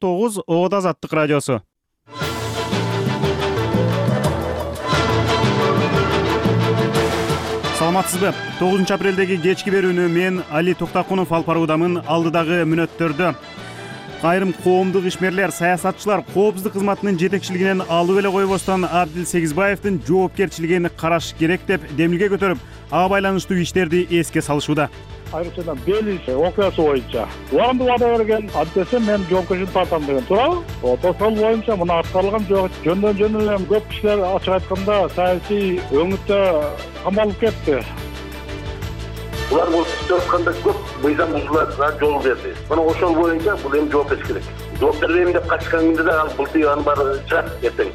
9 Оот Азаттык радиосу. Саламатсызбы? 9 апрелдеги кечки берүүнү мен Али Токтакунов алып баруудамын. Алдыдагы мүнөттөрдө айрым коомдук ишмерлер, саясатчылар коопсуздук кызматынын жетекчилигинен алып эле койбостон Абдил Сегизбаевдин жоопкерчилигин караш керек деп демилге көтөрүп, ага байланыштуу иштерди эске салышууда. Айрыкчадан Белиз окуясы боюнча убагында вада берген, антесе мен жоопкерчилик тартам деген туурабы? Ошол боюнча мына аткарылган жок. Жөндөн эле көп кишилер ачык айтканда саясий өңүттө камалып кетти. Булар бул төртканда көп мыйзам бузуларга жол берди. Мына ошол боюнча бул эми жооп бериш керек. Жооп бербейм деп качканда да ал бултуянын баары чыгат эртең.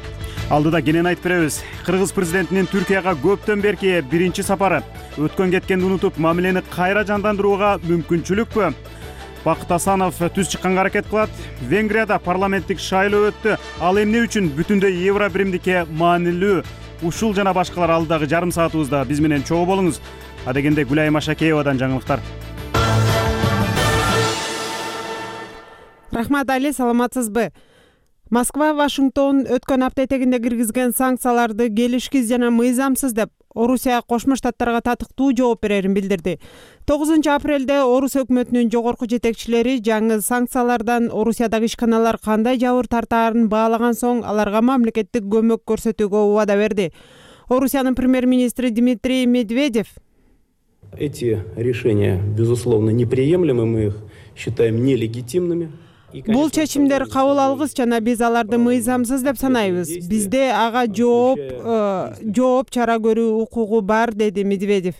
Алдыда кенен айтып беребиз. Кыргыз президентинин Түркияга көптөн берки биринчи сапары. Өткөн кеткенди унутуп, мамилени кайра жандандырууга мүмкүнчүлүкпү? Бакыт Асанов түз чыкканга аракет кылат. Венгрияда парламенттик шайлоо өттү. Ал эмне үчүн бүтүндөй евро биримдикке маанилүү? Ушул жана башкалар алдыдагы жарым саатыбызда биз менен чогуу болуңуз. Адегенде Гүлайым Ашакеевадан жаңылыктар. Рахмат Али, саламатсызбы? Москва Вашингтон өткөн апта этегинде киргизген санкцияларды келишкиз жана мыйзамсыз деп Орусия Кошмо Штаттарга татыктуу жооп берерин билдирди. 9 апрелде Орус өкмөтүнүн жогорку жетекчилери жаңы санкциялардан Орусиядагы ишканалар кандай жабыр тартаарын баалаган соң аларга мамлекеттик көмөк көрсөтүүгө убада берди. Орусиянын премьер-министри Дмитрий Медведев: Эти решения, безусловно, неприемлемы, мы их считаем нелегитимными. Бул чечимдер кабыл алгыс жана биз аларды мыйзамсыз деп санайбыз. Бизде ага жооп чара көрүү укугу бар, деди Медведев.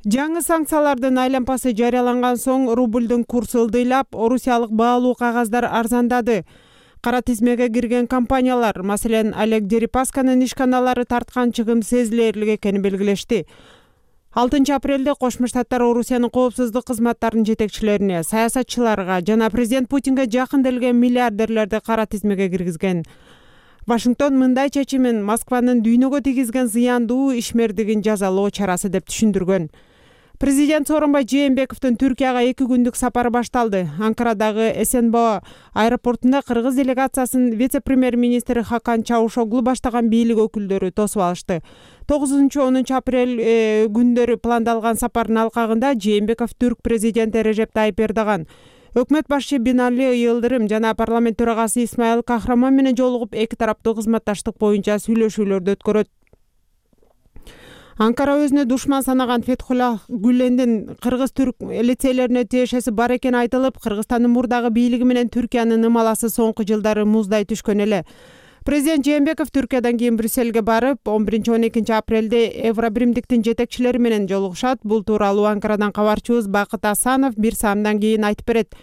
Жаңы санкциялардын айлампасы жарыяланган соң рубльдун курсу ылдыйлап, орусиялык баалуу кагаздар арзандады. Кара тизмеге кирген компаниялар, маселен Олег Дерипасканын ишканалары тарткан чыгым сезилерлик экенин белгилешти. 6 апрелде Кошмо Штаттар Орусиянын коопсуздук кызматтарынын жетекчилерине, саясатчыларга жана президент Путинге жакын делген миллиардерлерди кара тизмеге киргизген. Вашингтон мындай чечимин Москванын дүйнөгө тийгизген зыяндуу ишмердигин жазалоо чарасы деп түшүндүргөн. Президент Сооронбай Жээнбековдун Түркияга 2 күндүк сапары башталды. Анкарадагы СНБ аэропортунда кыргыз делегациясын вице-премьер-министри Хакан Чаушоглу баштаган бийлик өкүлдөрү тосуп алышты. 9-10 апрель күндөрү пландалган сапардын алкагында Жээнбеков түрк президенти Режеп Тайип Эрдоган, өкмөт башчы Бинали Йылдырым жана парламент төрагасы Исмаил Кахрамон менен жолугуп эки тараптуу кызматташтык боюнча сүйлөшүүлөрдү өткөрөт. Анкара өзүнө душман санаган Фетхуллах Гүлендин кыргыз-түрк лицейлерине тиешеси бар экени айтылып, Кыргызстандын мурдагы бийлиги менен Түркиянын ымаласы соңку жылдары муздай түшкөн эле. Президент Жээнбеков Түркиядан кийин Брюссельге барып, 11-12 апрелде евро биримдиктин жетекчилери менен жолугушат. Бул тууралуу Анкарадан кабарчыбыз Бакыт Асанов бир саамдан кийин айтып берет.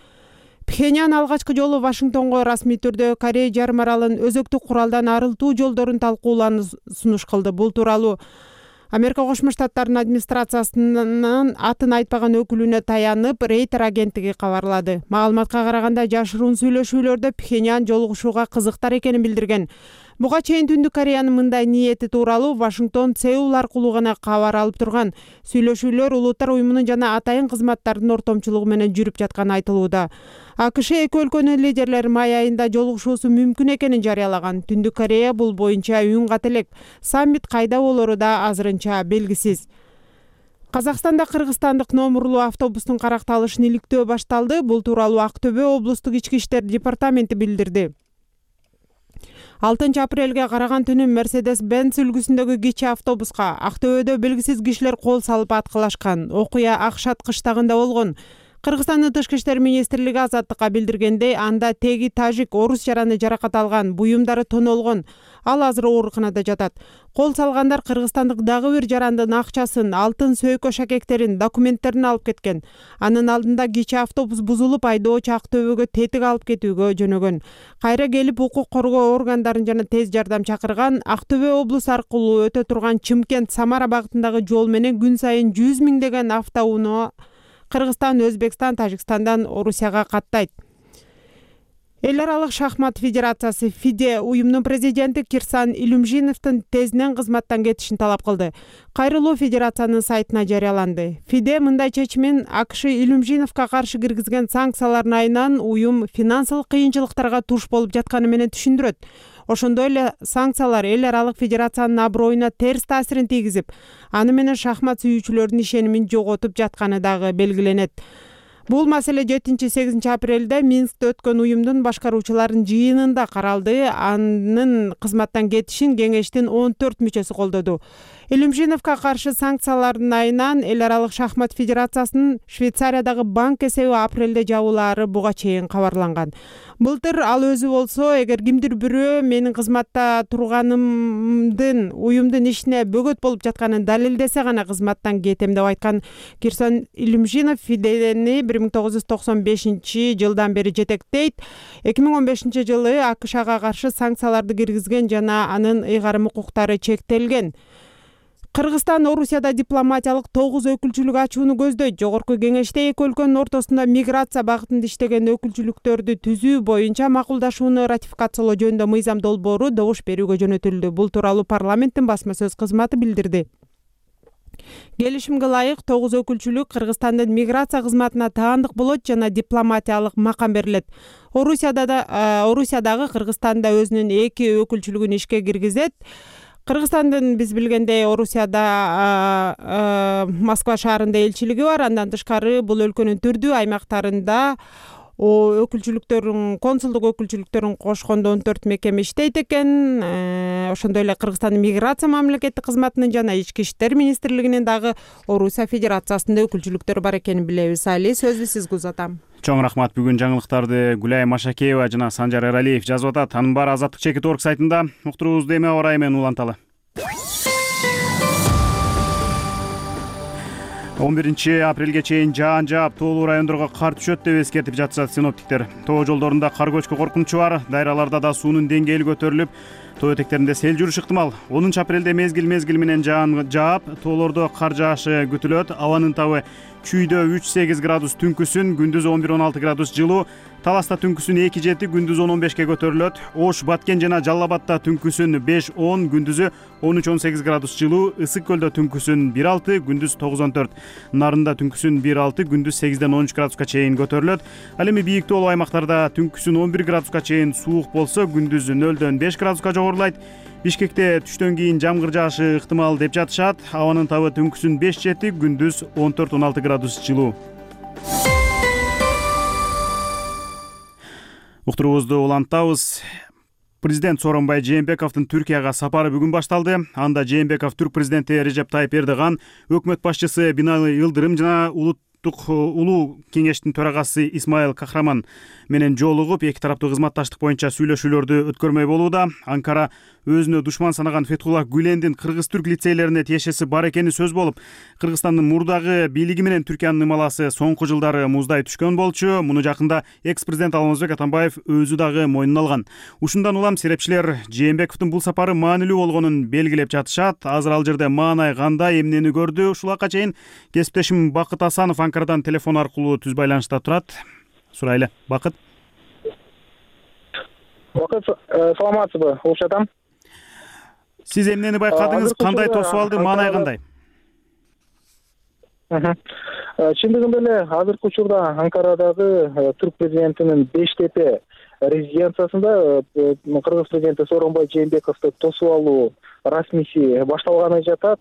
Пхеньян алгачкы жолу Вашингтонго расмий түрдө Корея жарым аралын өзөктүк куралдан арылтуу жолдорун талкуулоону сунуш кылды. Бул тууралуу Америка Кошмо Штаттарынын администрациясынын атын айтпаган өкүлүнө таянып, Рейтер агенттиги кабарлады. Маалыматка караганда жашыруун сүйлөшүүлөрдө Пхеньян жолугушууга кызыктар экенин билдирген. Буга чейин Түндүк Кореянын мындай ниети тууралуу Вашингтон Сеул аркылуу гана кабар алып турган. Сүйлөшүүлөр Улуттар уюмунун жана атайын кызматтардын ортомчулугу менен жүрүп жатканы айтылууда. АКШ эки өлкөнүн лидерлери май айында жолугушуусу мүмкүн экенин жарыялаган. Түндүк Корея бул боюнча үн кат элек. Саммит кайда болору да азырынча белгисиз. Казакстанда кыргызстандык номурлуу автобустун каракталышын иликтөө башталды. Бул тууралуу Актөбө облустук ички иштер департаменти билдирди. 6 апрелге караган түнү Mercedes-Benz үлгүсүндөгү кичи автобуска Актөбөдө белгисиз кишилер кол салып аткылашкан. Окуя Акшат кыштагында болгон. Кыргызстандын Тышкы иштер министрлиги Азаттыкка билдиргендей, анда теги тажик орус жараны жаракат алган, буюмдары тонолгон. Ал азыр ооруканада жатат. Кол салгандар кыргызстандык дагы бир жарандын акчасын, алтын сөйкө шакектерин, документтерин алып кеткен. Анын алдында кичи автобус бузулуп, айдоочу Актөбөгө тетик алып кетүүгө жөнөгөн. Кайра келип укук коргоо органдарын жана тез жардам чакырган. Актөбө облусу аркылуу өтө турган Чымкент Самара багытындагы жол менен күн сайын 100 миңдеген автоунаа Кыргызстан, Өзбекстан, Тажикстандан Орусияга каттайт. Эл аралык шахмат федерациясы ФИДЕ уюмдун президенти Кирсан Илюмжиновдун тезинен кызматтан кетишин талап кылды. Кайрылуу федерациянын сайтына жарыяланды. ФИДЕ мындай чечимин АКШ Илюмжиновго каршы киргизген санкциялардын айынан уюм финансылык кыйынчылыктарга туш болуп жатканы менен түшүндүрөт. Ошондой эле санкциялар эл аралык федерациянын аброюна терс таасирин тийгизип, аны менен шахмат сүйүүчүлөрдүн ишенимин жоготуп жатканы дагы белгиленет. Бул маселе 7-8 апрелде Минскте өткөн уюмдун башкаруучуларынын жыйынында каралды. Анын кызматтан кетишин кеңештин 14 мүчөсү колдоду. Илюмжиновго каршы санкциялардын айынан эл аралык шахмат федерациясынын Швейцариядагы банк эсеби апрелде жабылаары буга чейин кабарланган. Былтыр ал өзү болсо, эгер кимдир бирөө менин кызматта турганымдын уюмдун ишине бөгөт болуп жатканын далилдесе гана кызматтан кетем деп айткан. Кирсан Илюмжинов ФИДЕни 1995 бери жетектейт. 2015 жылы АКШга каршы санкцияларды киргизген жана анын ыйгарым укуктары чектелген. Кыргызстан Орусияда дипломатиялык 9 өкүлчүлүк ачууну көздөйт. Жогорку кеңеште эки өлкөнүн ортосунда миграция багытында иштеген өкүлчүлүктөрдү түзүү боюнча макулдашууну ратификациялоо жөнүндө мыйзам долбоору добуш берүүгө жөнөтүлдү. Бул тууралуу парламенттин басма сөз кызматы билдирди. Келишимге ылайык 9 өкүлчүлүк Кыргызстандын миграция кызматына таандык болот жана дипломатиялык макам берилет. Орусиядагы Кыргызстанда өзүнүн 2 өкүлчүлүгүн ишке киргизет. Кыргызстандын биз билгендей Орусияда Москва шаарында элчилиги бар. Андан тышкары бул өлкөнүн түрдүү аймактарында өкүлчүлүктөрүн, консулдук өкүлчүлүктөрүн кошкондо 14 мекеме иштейт экен. Ошондой эле Кыргызстандын миграция мамлекеттик кызматынын жана ички иштер министрлигинин дагы Орусия федерациясында өкүлчүлүктөрү бар экенин билебиз. Али, сөздү сизге узатам. Чоң рахмат. Бүгүн жаңылыктарды Гүлай Машакеева жана Санжар Эралиев жазып атат. Анын баары Азаттык чекит орг сайтында. Уктуруубузду эме орай менен уланталы. 11 апрелге чейин жаан жаап, тоолуу райондорго кар түшөт деп эскертип жатышат синоптиктер. Тоо жолдорунда кар көчкү коркунучу бар. Дайраларда да суунун деңгээли көтөрүлүп, тоо этектеринде сел жүрүш ыктымал. 10 апрелде мезгил менен жаан жаап, тоолордо кар жаашы күтүлөт. Абанын табы чүйдө 3-8 градус түнкүсүн, күндүз 11-16 градус жылуу. Таласта түнкүсүн 2-7, күндүз 10-15 көтөрүлөт. Ош, Баткен жана Жалал Абадта түнкүсүн 5-10, күндүзү 13-18 градус жылуу. Ысык көлдө түнкүсүн 1-6, күндүз 9-14. Нарында түнкүсүн 1-6, күндүз 8-13 градуска чейин көтөрүлөт. Ал эми бийик тоолуу аймактарда түнкүсүн 11 градуска чейин суук болсо, күндүз 0-5 градуска жогорулайт. Бишкекте түштөн кийин жамгыр жаашы ыктымал деп жатышат. Абанын табы түнкүсүн 5-7, күндүз 14-16 градус жылуу. Уктуруубузду улантабыз. Президент Сооронбай Жээнбековдун Түркияга сапары бүгүн башталды. Анда Жээнбеков түрк президенти Режеп Тайып Эрдоган, өкмөт башчысы Бинали Йылдырым жана улуу кеңештин төрагасы Исмаил Кахраман менен жолугуп, эки тараптуу кызматташтык боюнча сүйлөшүүлөрдү өткөрмөй болууда. Анкара өзүнө душман санаган Фетхуллах Гүлендин кыргыз-түрк лицейлерине тиешеси бар экени сөз болуп, Кыргызстандын мурдагы бийлиги менен Түркиянын ымаласы соңку жылдары муздай түшкөн болчу. Муну жакында экс-президент Алмазбек Атамбаев өзү дагы мойнуна алган. Ушундан улам серепчилер Жээнбековдун бул сапары маанилүү болгонун белгилеп жатышат. Азыр ал жерде маанай кандай, эмнени көрдү? Ушуларга чейин кесиптешим Бакыт Асанов Анкарадан телефон аркылуу түз байланышта турат. Сурайлы, Бакыт. Бакыт, саламатсызбы? Улшатам. Сиз эмнени байкадыңыз? Кандай тосуп алды? Маанай кандай? Чындыгында эле азыркы учурда Анкарадагы түрк президентинин Бештепе резиденциясында Кыргыз президенти Сооронбай Жээнбековду тосуп алуу расмийси башталганы жатат.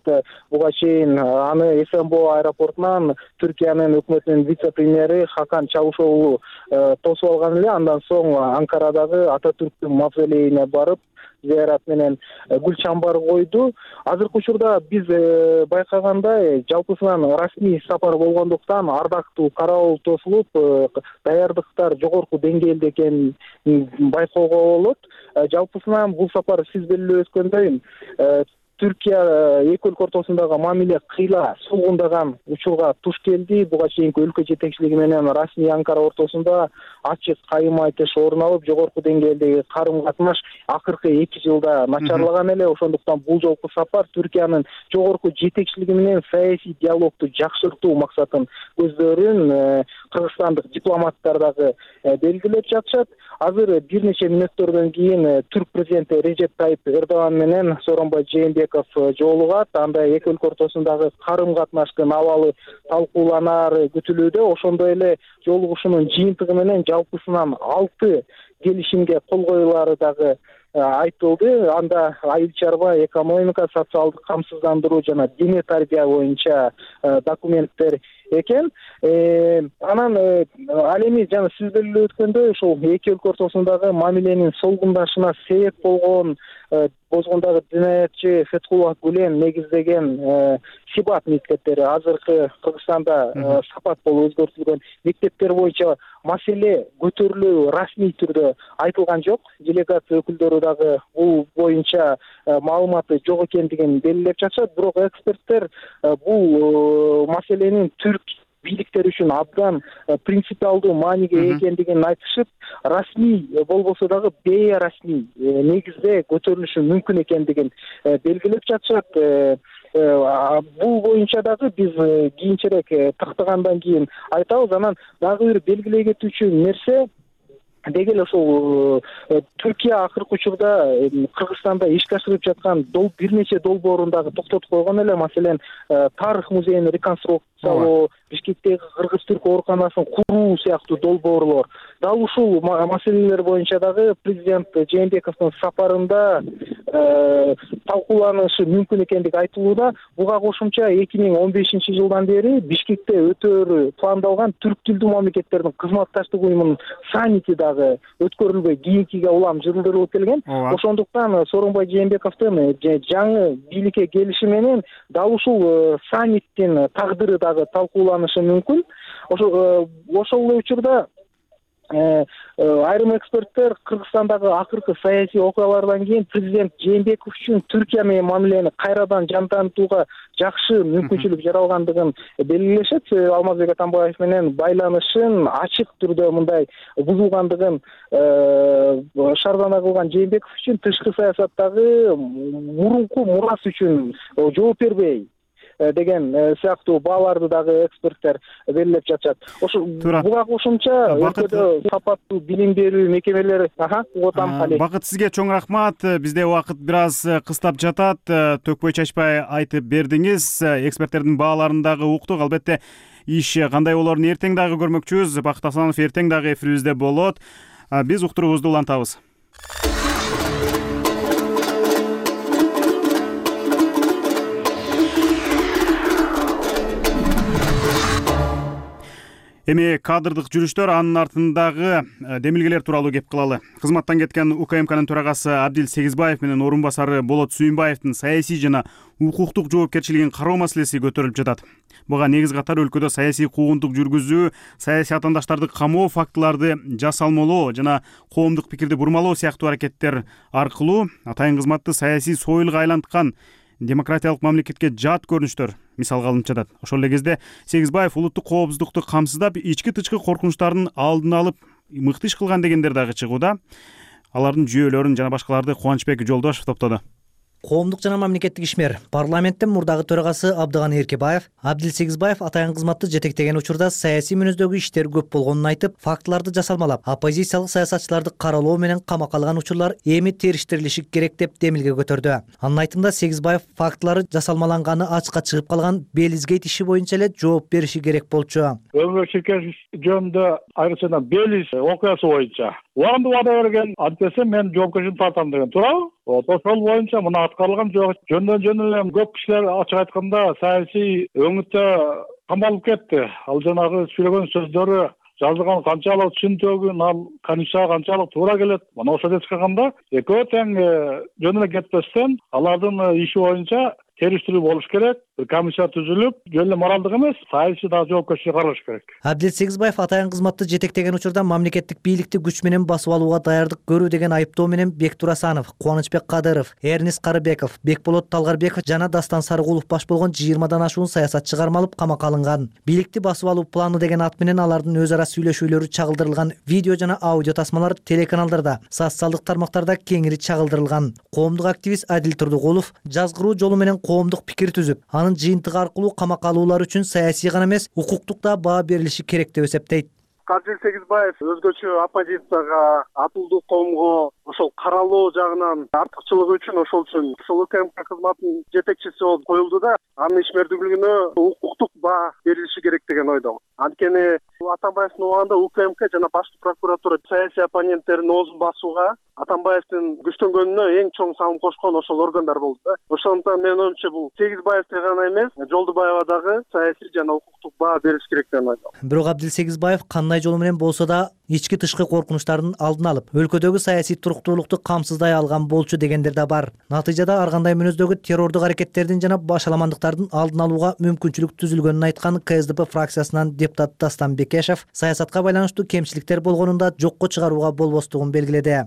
Буга чейин аны СМБО аэропортунан Түркиянын өкмөтүнүн вице-премьери Хакан Чавушоглу тосуп алган эле. Андан соң Анкарадагы Ататүрктүн мавзолейине барып, зыярат менен гүл чамбар койду. Азыркы учурда биз байкагандай жалпысынан расмий сапар болгондуктан ардактуу караол тосулуп, даярдыктар жогорку деңгээлде экенин байкоого болот. Жалпысынан бул сапар сиз белгилеп өткөндөй Түркия эки өлкө ортосундагы мамиле кыйла сулгундаган учурга туш келди. Буга чейинки өлкө жетекчилиги менен расмий Анкара ортосунда ачык кайым айтыш орун алып, жогорку деңгээлдеги карым катнаш акыркы 2 жылда начарлаган эле. Ошондуктан бул жолку сапар Түркиянын жогорку жетекчилиги менен саясий диалогду жакшыртуу максатын көздөрүн кыргызстандык дипломаттар дагы белгилеп жатышат. Азыр бир нече мүнөттөрдөн кийин Түрк президенти Режеп Тайип Эрдоган менен Сооронбай Жээнбеков жолугат. Анда эки өлкө ортосундагы карым катнаштын абалы талкууланары күтүлүүдө. Ошондой эле жолугушуунун жыйынтыгы менен жалпысынан 6 келишимге кол коюлары дагы айтылды. Анда айыл чарба, экономика, социалдык камсыздандыруу жана диний тарбия боюнча документтер экен. Анан ал эми жана сиз белгилеп өткөндөй, ушул эки өлкө ортосундагы мамиленин солгундашына себеп болгон бозгондагы динаятчы Фетхуллах Гүлен негиздеген Сибат мектептери азыркы Кыргызстанда сапат болуп өзгөртүлгөн мектептер боюнча маселе көтөрүлүү расмий түрдө айтылган жок. Делегация өкүлдөрү дагы бул боюнча маалыматы жок экендигин белгилеп жатышат. Бирок эксперттер бул маселенин түрк бийликтер үчүн абдан принципиалдуу мааниге экендигин айтышып, расмий болбосо дагы бейрасмий негизде көтөрүлүшү мүмкүн экендигин белгилеп жатышат. Бул боюнча дагы биз кийинчерээк тактагандан кийин айтабыз. Анан дагы бир белгилей кетүүчү нерсе, деги эле ушул Түркия акыркы учурда Кыргызстанда ишке ашырып жаткан бир нече долбоорун дагы токтотуп койгон эле. Маселен, тарых музейин реконструкциялоо, Бишкектеги кыргыз-түрк ооруканасын куруу сыяктуу долбоорлор. Дал ушул маселелер боюнча дагы президент Жээнбековдун сапарында талкууланышы мүмкүн экендиги айтылууда. Буга кошумча 2015-жылдан бери Бишкекте өтөөрү пландалган түрк тилдүү мамлекеттердин кызматташтык уюмунун саммити дагы өткөрүлбөй кийинкиге улам жылдырылып келген. Ошондуктан Сооронбай Жээнбековдун жаңы бийликке келиши менен дал ушул саммиттин тагдыры дагы талкууланышы мүмкүн. Ошол эле учурда айрым эксперттер Кыргызстандагы акыркы саясий окуялардан кийин президент Жээнбеков үчүн Түркия менен мамилени кайрадан жандантууга жакшы мүмкүнчүлүк жаралгандыгын белгилешет. Алмазбек Атамбаев менен байланышын ачык түрдө мындай бузулгандыгын шаардана кылган Жээнбеков үчүн тышкы саясаттагы мурунку мурасы үчүн жооп бербей деген сыяктуу бааларды дагы эксперттер белгилеп жатышат. Ошо буга кошумча өлкөдө сапаттуу билим берүү мекемелери Бакыт, сизге чоң рахмат. Бизде убакыт бир аз кыстап жатат. Төкпөй чачпай айтып бердиңиз. Эксперттердин бааларын дагы уктук. Албетте иш кандай болорун эртең дагы көрмөкчүбүз. Бакыт Асанов эртең дагы эфирибизде болот. Биз уктуруубузду улантабыз. Эми кадрдык жүрүштөр, анын артындагы демилгелер тууралуу кеп кылалы. Кызматтан кеткен УКМКнын төрагасы Абдил Сегизбаев менен орун басары Болот Сүйүнбаевдин саясий жана укуктук жоопкерчилигин кароо маселеси көтөрүлүп жатат. Буга негиз катары өлкөдө саясий куугунтук жүргүзүү, саясий атаандаштарды камоо фактыларды жасалмалоо жана коомдук пикирди бурмалоо сыяктуу аракеттер аркылуу атайын кызматты саясий союлга айланткан демократиялык мамлекетке жат көрүнүштөр мисалга алынып жатат. Ошол эле кезде Сегизбаев улуттук коопсуздукту камсыздап, ички-тышкы коркунучтардын алдын алып мыкты иш кылган дегендер дагы чыгууда. Алардын жүйөлөрүн жана башкаларды Кубанычбек Жолдошев топтоду. Коомдук жана мамлекеттик ишмер парламенттин мурдагы төрагасы Абдыган Эркебаев Абдил Сегизбаев атайын кызматты жетектеген учурда саясий мүнөздөгү иштер көп болгонун айтып, фактыларды жасалмалап, оппозициялык саясатчыларды каралоо менен камакка алган учурлар эми териштирилиши керек деп демилге көтөрдү. Анын айтымында Сегизбаев фактылары жасалмаланганы ачыкка чыгып калган Белизгейт иши боюнча эле жооп бериши керек болчу. Өмүр Ширкешев жөнүндө айрыкчадан Белиз окуясы боюнча убагында вада берген, антесе мен жоопкерчиликти тартам деген туурабы? Ошол боюнча мына аткарылган жок. Жөндөн эле көп кишилер ачык айтканда саясий өңүттө камалып кетти. Ал жанагы сүйлөгөн сөздөрү жазылган канчалык түшүнтөгүн, ал конституцияга канчалык туура келет. Мына ошол эскергенде экөө тең жөн эле кетпестен алардын иши боюнча териштирүү болуш керек. бир комиссия түзүлүп, жөн эле моралдык эмес, саясий дагы жоопкерчилик каралыш керек. Абдил Сегизбаев атайын кызматты жетектеген учурда мамлекеттик бийликти күч менен басып алууга даярдык көрүү деген айыптоо менен Бектур Асанов, Кубанычбек Кадыров, Эрнис Карыбеков, Бекболот Талгарбеков жана Дастан Сарыгулов баш болгон 20дан ашуун саясатчы кармалып камакка алынган. Бийликти басып алуу планы деген ат менен алардын өз ара сүйлөшүүлөрү чагылдырылган видео жана аудио тасмалар телеканалдарда, социалдык тармактарда кеңири чагылдырылган. Коомдук активист Адил Турдугулов жазгыруу жолу менен коомдук пикир түзүп, анын жыйынтыгы аркылуу камакка алуулар үчүн саясий гана эмес, укуктук да баа берилиши керек деп эсептейт. Абдил Сегизбаев өзгөчө оппозицияга, атылдуу коомго ошол каралоо жагынан артыкчылыгы үчүн ошол УКМК кызматынын жетекчиси болуп коюлду да, анын ишмердүүлүгүнө укуктук баа берилиши керек деген ойдомун. Анткени Атамбаевдин убагында УКМК жана башкы прокуратура саясий оппоненттердин оозун басууга, Атамбаевдин күчтөнгөнүнө эң чоң салым кошкон ошол органдар болду да. Ошондуктан менин оюмча бул Сегизбаевге гана эмес, Жолдубаева дагы саясий жана укуктук баа бериш керек деген ойдомун. Бирок Абдил Сегизбаев кандай жолу менен болсо да ички тышкы коркунучтардын алдын алып, өлкөдөгү саясий туруктуулукту камсыздай алган болчу дегендер да бар. Натыйжада ар кандай мүнөздөгү террордук аракеттердин жана башаламандыктардын алдын алууга мүмкүнчүлүк түзүлгөнүн айткан КСДП фракциясынын депутаты Дастан Бекешев саясатка байланыштуу кемчиликтер болгонун да жокко чыгарууга болбостугун белгиледи.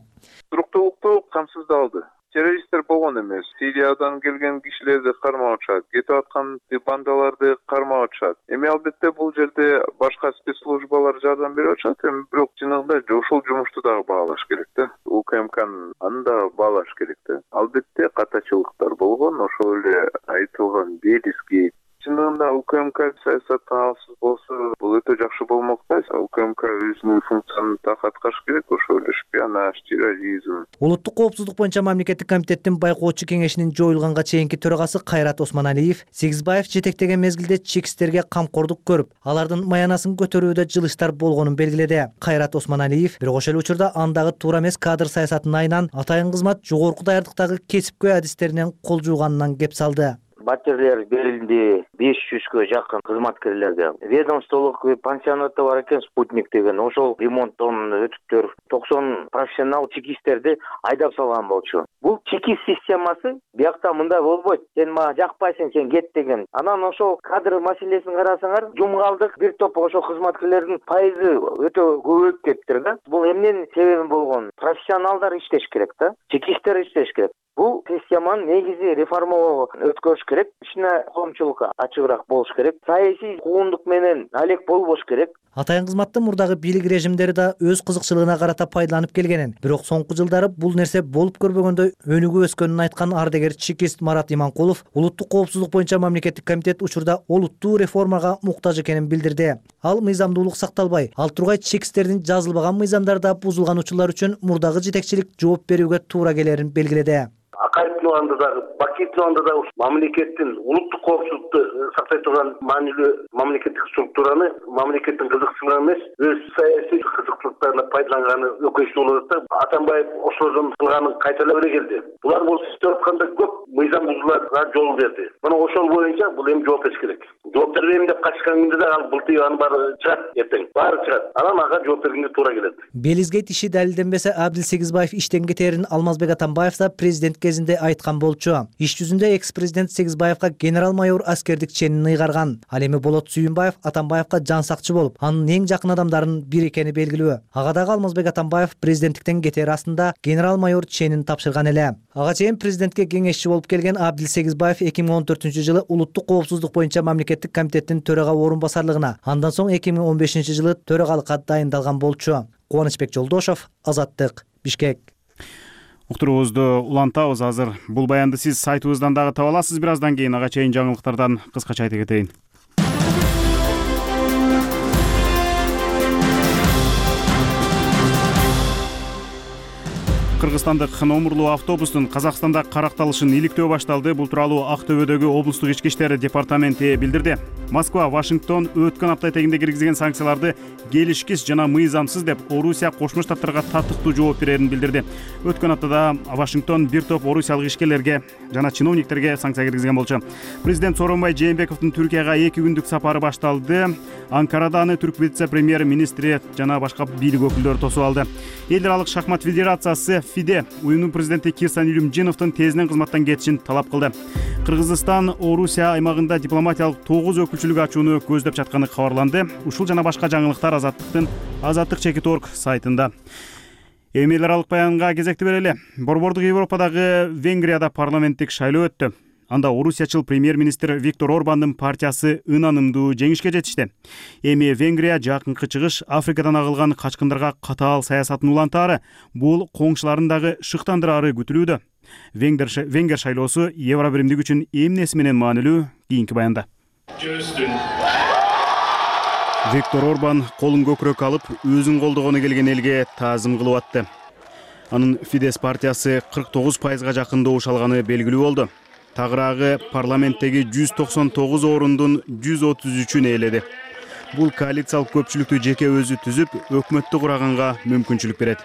Туруктуулукту камсыздалды. Террористтер болгон эмес. Сириядан келген кишилерди кармап атышат, кетип аткан бандаларды кармап атышат. Эми албетте бул жерде башка спецслужбалар жардам берип атышат, бирок чыныгында ошол жумушту дагы баалаш керек да. УКМКнын аны да баалаш керек да. Албетте катачылыктар болгон, ошол эле айтылган Белизги чындыгында УКМК саясаттан алсыз болсо, бул өтө жакшы болмок да. УКМК өзүнүн функциясын так аткарыш керек, ошол эле шпионаж, терроризм. Улуттук коопсуздук боюнча мамлекеттик комитеттин байкоочу кеңешинин жоюлганга чейинки төрагасы Кайрат Осмоналиев Сегизбаев жетектеген мезгилде чекистерге камкордук көрүп, алардын маянасын көтөрүүдө жылыштар болгонун белгиледи. Кайрат Осмоналиев бирок ошол учурда андагы туура эмес кадр саясатынын айынан атайын кызмат жогорку даярдыктагы кесипкөй адистеринен кол жууганынан кеп салды. Батирлер берилди 500гө жакын кызматкерлерге. Ведомстволук пансионаты бар экен, Спутник деген, ошол ремонттон өтүптөр 90 профессионал чекисттерди айдап салган болчу. Бул чекист системасы биякта мындай болбойт. Сен мага жакпайсың, сен кет деген. Анан ошол кадр маселесин карасаңар, жумгалдык бир топ ошол кызматкерлердин пайызы өтө көбөйүп кетиптир да. Бул эмненин себеби болгон? Профессионалдар иштеш керек да, чекисттер иштеш керек. Бул системаны негизи реформалоо өткөрүш керек. Ичине коомчулук ачыгыраак болуш керек. Саясий куугундук менен алек болбош керек. Атайын кызматтын мурдагы бийлик режимдери да өз кызыкчылыгына карата пайдаланып келгенин, бирок соңку жылдары бул нерсе болуп көрбөгөндөй өнүгүп өскөнүн айткан ардагер чекист Марат Иманкулов улуттук коопсуздук боюнча мамлекеттик комитет учурда олуттуу реформага муктаж экенин билдирди. Ал мыйзамдуулук сакталбай, ал тургай чекисттердин жазылбаган мыйзамдарда бузулган учурлар үчүн мурдагы жетекчилик жооп берүүгө туура келерин белгиледи. Акаевдин убагында дагы, Бакиевдин убагында дагы мамлекеттин улуттук коопсуздукту сактай турган маанилүү мамлекеттик структураны мамлекеттин кызыкчылыгы эмес, өз саясий кызыкчылыктарына пайдаланганы өкүнүчтүү болот да. Атамбаев ошолордун кылганын кайталап эле келди. Булар болсо иштеп атканда көп мыйзам бузууларга жол берди. Мына ошол боюнча бул эми жооп бериш керек. Жооп бербейм деп качкан күндө да ал бултуй анын баары чыгат, эртең баары чыгат. Анан ага жооп бергенге туура келет. Белизге иши далилденбесе, Абдил Сегизбаев иштен кетерин Алмазбек Атамбаев да президент кезинде айткан болчу. Иш жүзүндө экс-президент Сегизбаевга генерал-майор аскердик ченин ыйгарган. Ал эми Болот Сүйүнбаев Атамбаевга жан сакчы болуп, анын эң жакын адамдарынын бири экени белгилүү. Ага дагы Алмазбек Атамбаев президенттиктен кетер астында генерал-майор ченин тапшырган эле. Ага чейин президентке кеңешчи болуп келген Абдил Сегизбаев 2014-жылы улуттук коопсуздук боюнча мамлекеттик комитеттин төрага орун басарлыгына, андан соң 2015-жылы төрагалыкка дайындалган болчу. Кубанычбек Жолдошов, Азаттык, Бишкек. Уктуруубузду улантабыз азыр. Бул баянды сиз сайтыбыздан дагы таба аласыз. Бир аздан кийин ага чейин жаңылыктардан кыскача айта кетейин. Кыргызстандык номурлуу автобустун Казакстанда каракталышын иликтөө башталды. Бул тууралуу Актөбөдөгү облустук ички иштер департаменти билдирди. Москва, Вашингтон өткөн апта этегинде киргизген санкцияларды келишкис жана мыйзамсыз деп Орусия Кошмо Штаттарга татыктуу жооп берерин билдирди. Өткөн аптада Вашингтон бир топ орусиялык ишкерлерге жана чиновниктерге санкция киргизген болчу. Президент Сооронбай Жээнбековдун Түркияга 2 күндүк сапары башталды. Анкарада аны түрк вице-премьер министри жана башка бийлик өкүлдөрү тосуп алды. Эл аралык шахмат федерациясы ФИДЕ уюмдун президенти Кирсан Илюмжиновдун тезинен кызматтан кетишин талап кылды. Кыргызстан Орусия аймагында дипломатиялык 9 өкүлчүлүк ачууну көздөп жатканы кабарланды. Ушул жана башка жаңылыктар Азаттык.org сайтында. Эми эл аралык баянга кезекти берели. Борбордук Европадагы Венгрияда парламенттик шайлоо өттү. Анда орусиячыл премьер-министр Виктор Орбандын партиясы ынанымдуу жеңишке жетишти. Эми Венгрия жакынкы чыгыш Африкадан агылган качкындарга катаал саясатын улантаары, бул коңшуларын дагы шыктандырары күтүлүүдө. Венгер шайлоосу Евробиримдик үчүн эмнеси менен маанилүү? Кийинки баянда. Виктор Орбан колун көкүрөккө алып, өзүн колдогону келген элге таазым кылып атты. Анын Фидес партиясы 49%га жакын добуш алганы белгилүү болду. Тагыраагы парламенттеги 199 орундун 133-ün ээледи. Бул коалициялык көпчүлүктү жеке өзү түзүп, өкмөттү кураганга мүмкүнчүлүк берет.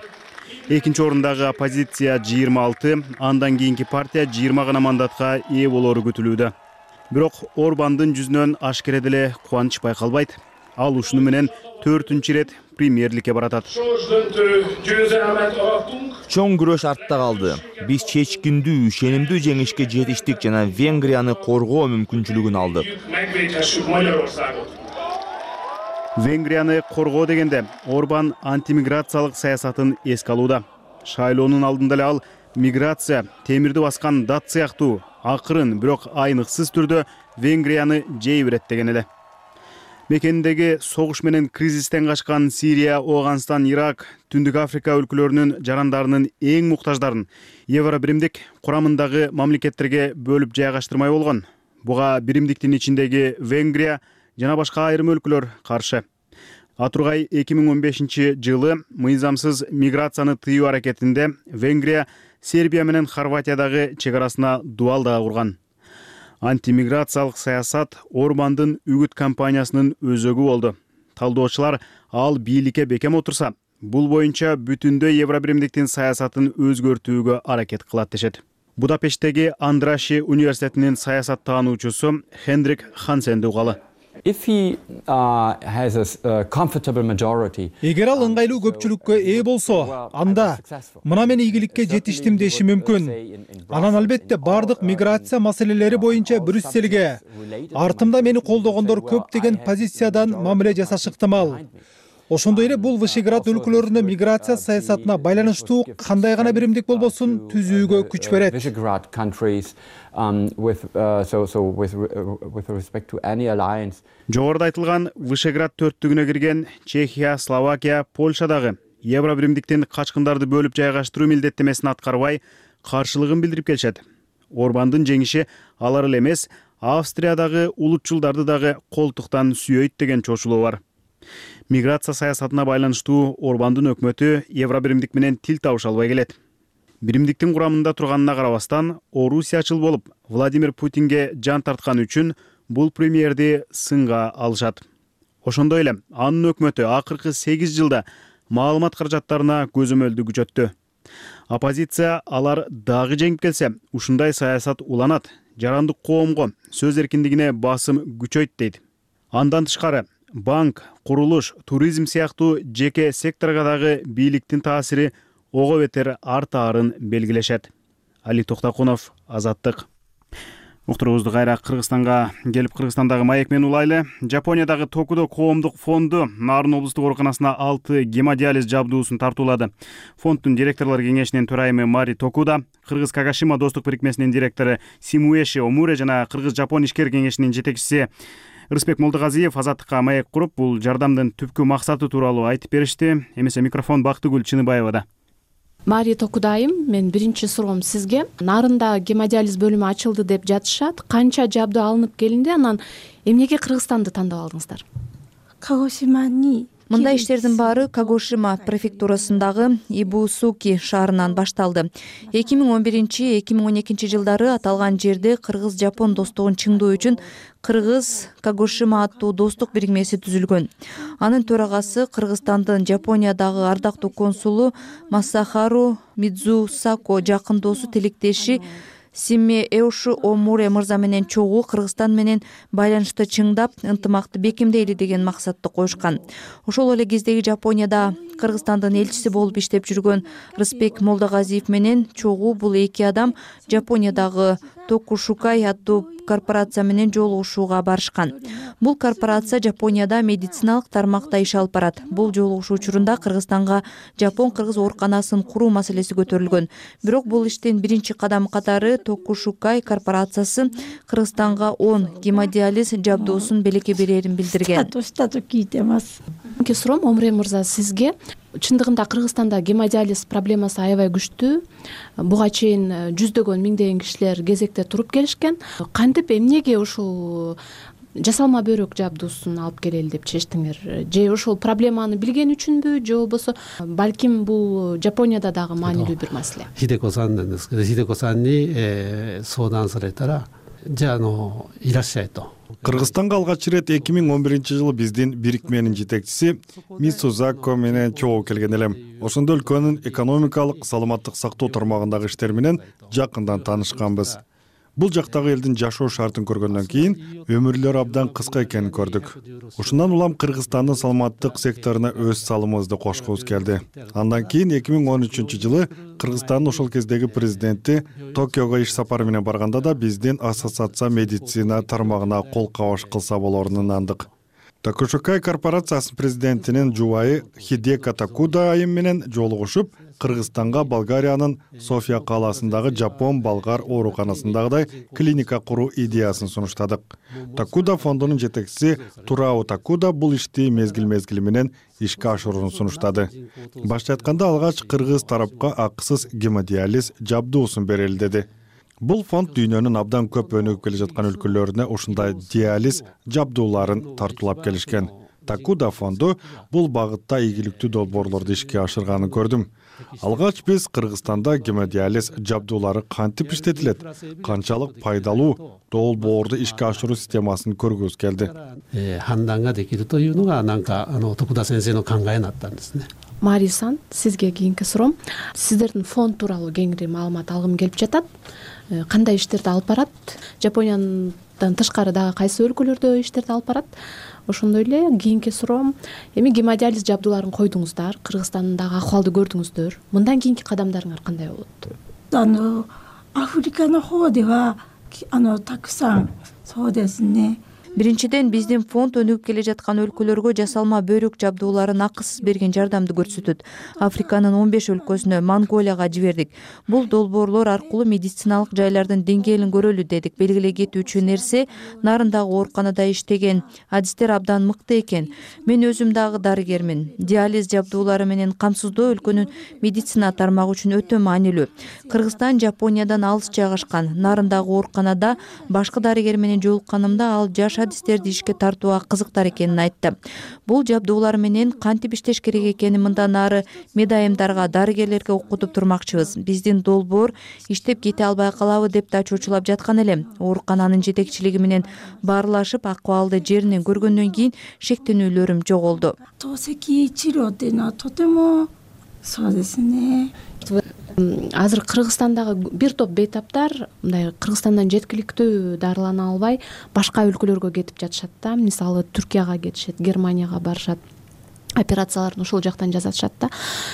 Экинчи орундагы оппозиция 26, андан кийинки партия 20 гана мандатка ээ болору күтүлүүдө. Бирок Орбандын жүзүнөн ашкере деле кубаныч байкалбайт. Ал ушуну менен 4-чү ирет премьерликке баратат. Чоң күрөш артта калды. Биз чечкиндүү, ишенимдүү жеңишке жетиштик жана Венгрияны коргоо мүмкүнчүлүгүн алдык. Венгрияны коргоо дегенде Орбан антимиграциялык саясатын эске алууда. Шайлоонун алдында эле ал миграция, темирди баскан дат сыяктуу акырын, бирок айныксыз түрдө Венгрияны жей берет деген эле. Мекендеги согуш менен кризистен качкан Сирия, Афганистан, Ирак, Түндүк Африка өлкөлөрүнүн жарандарынын эң муктаждарын Евробиримдик курамындагы мамлекеттерге бөлүп жайгаштырмай болгон. Буга биримдиктин ичиндеги Венгрия жана башка айрым өлкөлөр каршы. Атургай 2015-жылы мыйзамсыз миграцияны тыюу аракетинде Венгрия Сербия менен Хорватиядагы чек арасына дуал дагы курган. Антимиграциялык саясат Орбандын үгүт кампаниясынын өзөгү болду. Талдоочулар ал бийликке бекем отурса, бул боюнча бүтүндөй Евробиримдиктин саясатын өзгөртүүгө аракет кылат дешет. Будапешттеги Андраши университетинин саясат таануучусу Хендрик Хансенди угалы. Эгер ал ыңгайлуу көпчүлүккө ээ болсо, анда мына мен ийгиликке жетиштим деши мүмкүн. Анан албетте бардык миграция маселелери боюнча Брюсселге артымда мени колдогондор көп деген позициядан мамиле жасашы ыктымал. Ошондой эле бул Вышеград өлкөлөрүнө миграция саясатына байланыштуу кандай гана биримдик болбосун түзүүгө күч берет. Жогоруда айтылган Вышеград төрттүгүнө кирген Чехия, Словакия, Польшадагы Евробиримдиктин качкындарды бөлүп жайгаштыруу милдеттемесин аткарбай каршылыгын билдирип келишет. Орбандын жеңиши алар эле эмес, Австриядагы улутчулдарды дагы колтуктан сүйөйт деген чочулуу бар. Миграция саясатына байланыштуу Орбандын өкмөтү Евробиримдик менен тил табыша албай келет. Биримдиктин курамында турганына карабастан, орусиячыл болуп Владимир Путинге жан тарткан үчүн бул премьерди сынга алышат. Ошондой эле анын өкмөтү акыркы 8 жылда маалымат каражаттарына көзөмөлдү күчөттү. Оппозиция алар дагы жеңип келсе, ушундай саясат уланат, жарандык коомго, сөз эркиндигине басым күчөйт дейт. Андан тышкары, банк, курулуш, туризм сыяктуу жеке секторго дагы бийликтин таасири ого бетер артаарын белгилешет. Али Токтакунов, Азаттык. Уктуруубузду кайра Кыргызстанга келип, Кыргызстандагы маек менен улайлы. Жапониядагы Токудо коомдук фонду Нарын облустук ооруканасына 6 гемодиализ жабдуусун тартуулады. Фонддун директорлор кеңешинин төрайымы Мари Токуда, Кыргыз Кагашима достук бирикмесинин директору Симуэши Омуре жана Кыргыз-Жапон ишкер кеңешинин жетекчиси Рыспек Молдогазиев Азаттыкка маек куруп, бул жардамдын түпкү максаты тууралуу айтып беришти. Эмесе микрофон Бактыгүл Чыныбаевада. Мари Токудайым, мен биринчи суроом сизге. Нарында гемодиализ бөлүмү ачылды деп жатышат. Канча жабдуу алынып келинди, анан эмнеге Кыргызстанды тандап алдыңыздар? Мындай иштердин баары Кагошима префектурасындагы Ибусуки шаарынан башталды. 2011-2012 жылдары аталган жерде Кыргыз-Жапон достугун чыңдоо үчүн Кыргыз Кагошима аттуу достук бирикмеси түзүлгөн. Анын төрагасы Кыргызстандын Жапониядагы ардактуу консулу Масахару Мидзусако жакын досу, тилектеши Симме Эушу Омуре мырза менен чогуу Кыргызстан менен байланышты чыңдап, ынтымакты бекемдейли деген максатты коюшкан. Ошол эле кездеги Жапонияда Кыргызстандын элчиси болуп иштеп жүргөн Рысбек Молдогазиев менен чогуу бул эки адам Жапониядагы Токушукай аттуу корпорация менен жолугушууга барышкан. Бул корпорация Жапонияда медициналык тармакта иш алып барат. Бул жолугушуу учурунда Кыргызстанга Жапон-кыргыз ооруканасын куруу маселеси көтөрүлгөн. Бирок бул иштин биринчи кадамы катары Токушукай корпорациясы Кыргызстанга 10 гемодиализ жабдуусун белекке берерин билдирген. Суром Омре мырза, сизге чындыгында Кыргызстанда гемодиализ проблемасы аябай күчтүү. Буга чейин жүздөгөн миңдеген кишилер кезекте туруп келишкен. Кантип эмнеге ушул жасалма бөйрөк жабдуусун алып келели деп чечтиңер? Же ошол проблеманы билген үчүнбү, же болбосо балким бул Жапонияда дагы маанилүү бир маселе? Хидеко-санに相談されたら、じゃあいらっしゃいと。Кыргызстанга алгач ирет 2011-жылы биздин бирикменин жетекчиси Мисузако менен чогуу келген элем. Ошондо өлкөнүн экономикалык, саламаттык сактоо тармагындагы иштер менен жакындан таанышканбыз. Бул жактагы элдин жашоо шартын көргөндөн кийин өмүрлөрү абдан кыска экенин көрдүк. Ушундан улам Кыргызстандын саламаттык секторуна өз салымыбызды кошкубуз келди. Андан кийин 2013-жылы Кыргызстандын ошол кездеги президенти Токиого иш сапары менен барганда да биздин ассоциация медицина тармагына кол кабаш кылса болорун ынандык. Токушукай корпорациясынын президентинин жубайы Хидеко Такуда айым менен жолугушуп, Кыргызстанга Болгариянын София калаасындагы Жапон-болгар ооруканасындагыдай клиника куруу идеясын сунуштадык. Такуда фондунун жетекчиси Турао Такуда бул ишти мезгил менен ишке ашырууну сунуштады. Башча айтканда алгач кыргыз тарапка акысыз гемодиализ жабдуусун берели деди. Бул фонд дүйнөнүн абдан көп өнүгүп келе жаткан өлкөлөрүнө ушундай диализ жабдууларын тартуулап келишкен. Такуда фонду бул багытта ийгиликтүү долбоорлорду ишке ашырганын көрдүм. Алгач биз Кыргызстанда гемодиализ жабдуулары кантип иштетилет, канчалык пайдалуу долбоорду ишке ашыруу системасын көргүбүз келди. 判断ができるというのが徳田先生の考えになったんですね。Марисан, сизге кийинки суроом. Сиздердин фонд тууралуу кеңири маалымат алгым келип жатат. Кандай иштерди алып барат? Жапониядан тышкары дагы кайсы өлкөлөрдө иштерди алып барат? Ошондой эле кийинки суроом, эми гемодиализ жабдууларын койдуңуздар, Кыргызстандагы акыбалды көрдүңүздөр. Мындан кийинки кадамдарыңар кандай болот? アフリカの方ではたくさんそうですね。 Биринчиден биздин фонд өнүгүп келе жаткан өлкөлөргө жасалма бөйрөк жабдууларын акысыз берген жардамды көрсөтөт. Африканын 15 өлкөсүнө, Монголияга жибердик. Бул долбоорлор аркылуу медициналык жайлардын деңгээлин көрөлү дедик. Белгилей кетүүчү нерсе, нарындагы ооруканада иштеген адистер абдан мыкты экен. Мен өзүм дагы дарыгермин. Диализ жабдуулары менен камсыздоо өлкөнүн медицина тармагы үчүн өтө маанилүү. Кыргызстан Жапониядан алыс жайгашкан. Нарындагы ооруканада башка дарыгер менен жолукканымда ал жаш адистерди ишке тартууга кызыктар экенин айтты. Бул жабдуулар менен кантип иштеш керек экенин мындан ары медайымдарга, дарыгерлерге окутуп турмакчыбыз. Биздин долбоор иштеп кете албай калабы деп да чочулап жаткан элем. Оорукананын жетекчилиги менен баарлашып, акыбалды жеринен көргөндөн кийин шектенүүлөрүм жоголду. 透析治療っていうのはとてもそうですね。 Азыр Кыргызстандагы бир топ бейтаптар мындай Кыргызстандан жеткиликтүү дарылана албай башка өлкөлөргө кетип жатышат да. Мисалы Түркияга кетишет, Германияга барышат. Операцияларын ошол жактан жасатышат да.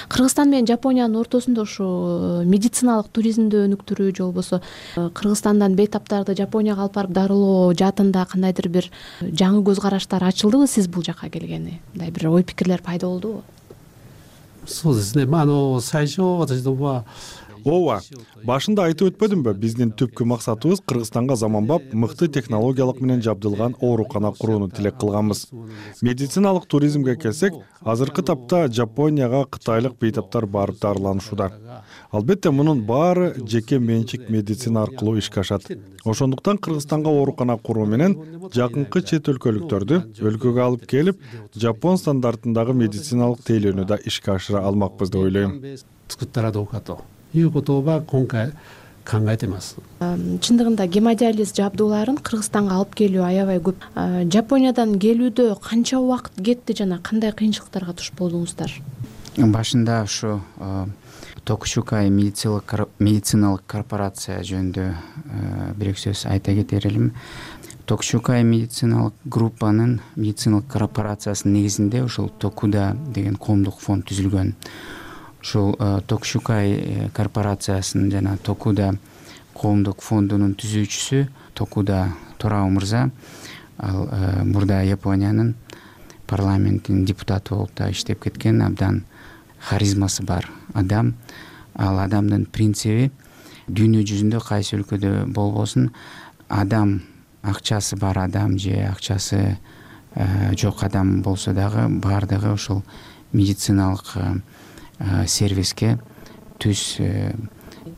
Кыргызстан менен Жапониянын ортосунда ушу медициналык туризмди өнүктүрүү же болбосо Кыргызстандан бейтаптарды Жапонияга алып барып дарылоо жаатында кандайдыр бир жаңы көз караштар ачылдыбы сиз бул жакка келгени? Мындай бир ой пикирлер пайда болдубу? そうですね。最初私どもは Ооба, башында айтып өтпөдүмбү? Биздин түпкү максатыбыз Кыргызстанга заманбап, мыкты технологиялык менен жабдылган оорукана курууну тилек кылганбыз. Медициналык туризмге келсек, азыркы тапта Жапонияга кытайлык бейтаптар барып дарыланышууда. Албетте мунун баары жеке менчик медицина аркылуу ишке ашат. Ошондуктан Кыргызстанга оорукана куруу менен жакынкы чет өлкөлүктөрдү өлкөгө алып келип, Жапон стандартындагы медициналык тейлөөнү да ишке ашыра алмакпыз деп ойлойм. 作ったらどうかということは今回考えてます。 Чындыгында гемодиализ жабдууларын Кыргызстанга алып келүү аябай көп. Жапониядан келүүдө канча убакыт кетти жана кандай кыйынчылыктарга туш болдуңуздар? Башында ушу Токушукай медициналык корпорация жөнүндө бир эки сөз айта кетер элем. Токушукай медициналык группанын медициналык корпорациясынын негизинде ушул Токуда деген коомдук фонд түзүлгөн. Ушул Токушукай корпорациясынын жана Токуда коомдук фондунун түзүүчүсү Токуда Торао мырза. Ал мурда Япониянын парламентинин депутаты болуп да иштеп кеткен абдан харизмасы бар адам. Ал адамдын принциби дүйнө жүзүндө кайсы өлкөдө болбосун адам, акчасы бар адам же акчасы жок адам болсо дагы баардыгы ушул медициналык сервиске түз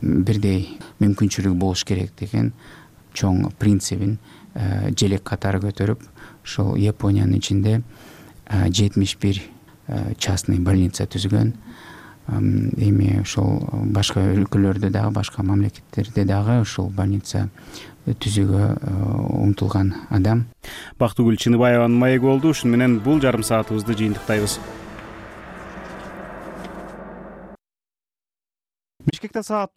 бирдей мүмкүнчүлүгү болуш керек деген чоң принцибин желек катары көтөрүп ушул Япониянын ичинде 71 частный больница түзгөн. Эми ушул башка өлкөлөрдө дагы, башка мамлекеттерде дагы ушул больница түзүүгө умтулган адам. Бактыгүл Чыныбаеванын маеги болду. Ушуну менен бул жарым саатыбызды жыйынтыктайбыз. Бишкекте саат